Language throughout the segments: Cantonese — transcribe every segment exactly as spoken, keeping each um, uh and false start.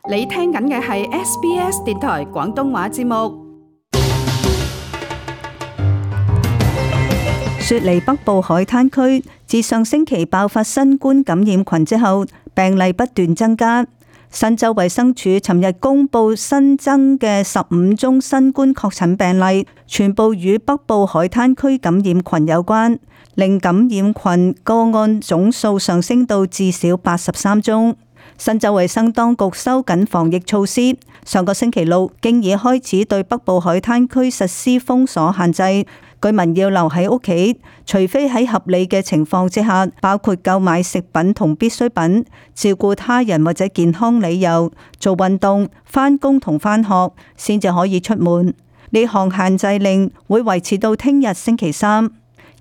你聽緊嘅係 S B S 電台廣東話節目。雪梨北部海灘區自上星期爆發新冠感染群之後，病例不斷增加。新州衛生署尋日公布新增嘅十五宗新冠確診病例，全部與北部海灘區感染群有關，令感染群個案總數上升到至少八十三宗。新州衛生當局收緊防疫措施，上個星期六經已開始對北部海灘區實施封鎖限制，居民要留喺屋企，除非喺合理嘅情況之下，包括購買食品同必需品、照顧他人或者健康理由、做運動、返工同返學，先至可以出門。呢項限制令會維持到聽日星期三。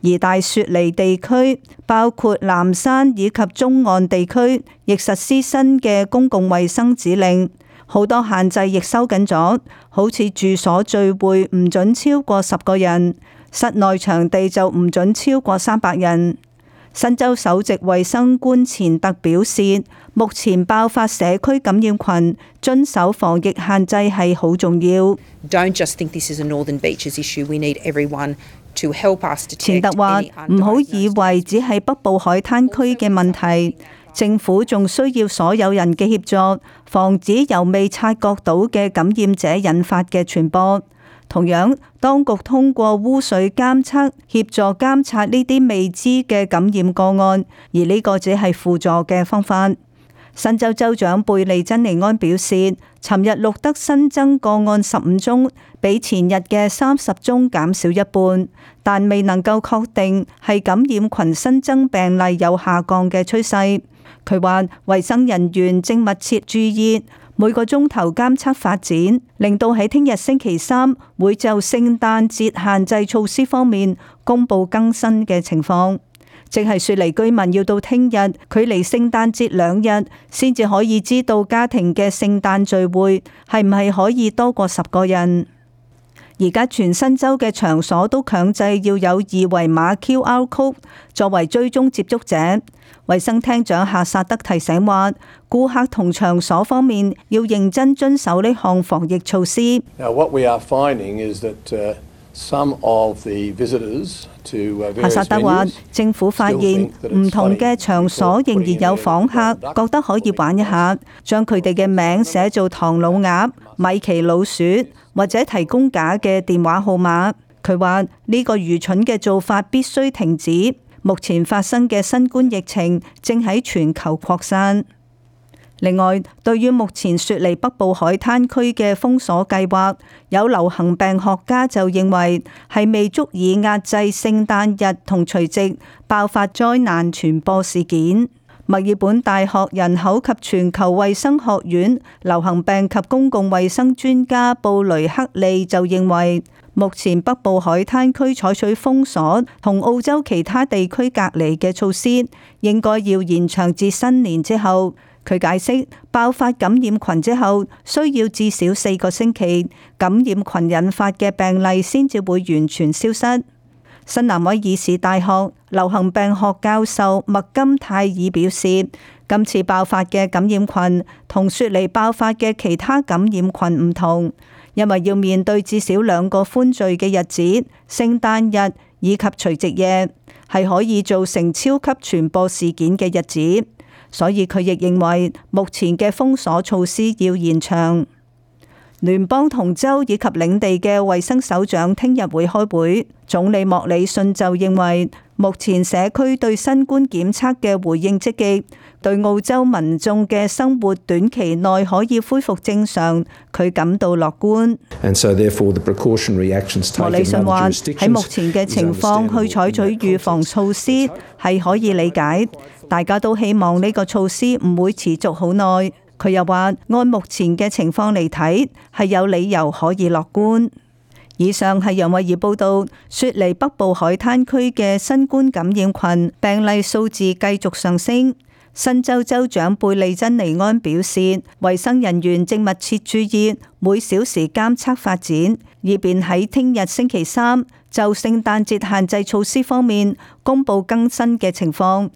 而大雪梨地區包括南山以及中岸地區亦實施新嘅公共衛生指令，好多限制亦收緊咗，好似住所聚會唔准超過十個人，室內場地就唔准超過三百人。新州首席衛生官錢特表示，目前爆發社區感染群，遵守防疫限制係好重要。Don't just think this is a Northern Beaches issue. We need everyone to help us detect. 錢特話：唔好以為只係北部海灘區嘅問題，政府仲需要所有人嘅協助，防止由未察覺到嘅感染者引發嘅傳播。同樣，當局通過污水監測協助監察呢啲未知嘅感染個案，而呢個只係輔助嘅方法。新州州長貝利珍尼安表示，尋日錄得新增個案十五宗，比前日嘅三十宗減少一半，但未能夠確定係感染群新增病例有下降嘅趨勢。佢話，衛生人員正密切注意每個鐘頭監測發展，令到喺聽日星期三會就聖誕節限制措施方面公布更新嘅情況。即係雪梨居民要到聽日，距離聖誕節兩日，先至可以知道家庭嘅聖誕聚會係唔係可以多過十個人。而家全新州嘅場所都強制要有二維碼 Q R code 作為追蹤接觸者。衛生廳長夏薩德提醒話，顧客同場所方面要認真遵守呢項防疫措施。Now, what we are finding is that, uh, some of the visitors to, uh, various venues 夏薩德話，政府發現唔同嘅場所仍然有訪客覺得可以玩一下，將佢哋嘅名寫做唐老鴨、米奇老鼠，或者提供假嘅電話號碼。佢話呢個愚蠢嘅做法必須停止。目前發生嘅新冠疫情正喺全球擴散。另外，對於目前雪梨北部海灘區嘅封鎖計劃，有流行病學家就認為係未足以壓制聖誕日同除夕爆發災難傳播事件。墨爾本大學人口及全球衛生學院流行病及公共衛生專家布雷克利就認為，目前北部海灘區採取封鎖同澳洲其他地區隔離嘅措施，應該要延長至新年之後。佢解釋，爆發感染群之後，需要至少四個星期，感染群引發嘅病例先至會完全消失。新南威爾士大學流行病學教授麥金泰爾表示，今次爆發嘅感染群同雪梨爆發嘅其他感染群唔同，因為要面對至少兩個歡聚嘅日子，聖誕日以及除夕夜，係可以造成超級傳播事件嘅日子。所以佢亦認為目前嘅封鎖措施要延長。聯邦同州以及領地嘅衛生首長聽日會開會，總理莫里遜就認為目前社區對新冠檢測嘅回應積極，對澳洲民眾嘅生活短期內可以恢復正常，佢感到樂觀。So the 莫里遜話喺目前嘅情況去採取預防措施係可以理解，大家都希望呢個措施唔會持續好耐。佢又話按目前嘅情況嚟睇，係有理由可以樂觀。以上係楊慧儀報道，雪梨北部海灘區嘅新冠感染群病例數字繼續上升。新州州長貝利珍尼安表示，衛生人員正密切注意每小時監測發展，以便喺聽日星期三就聖誕節限制措施方面公布更新嘅情況。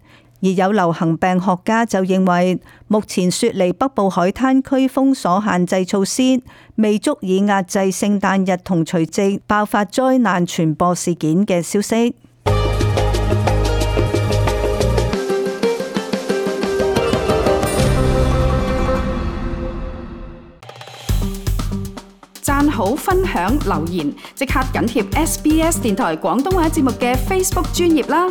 而有流行病學家就認為，目前雪梨北部海灘區封鎖限制措施未足以壓制聖誕日同除夕爆發災難傳播事件嘅消息。讚好、分享、留言，即刻緊貼 S B S 電台廣東話節目嘅 Facebook 專頁啦！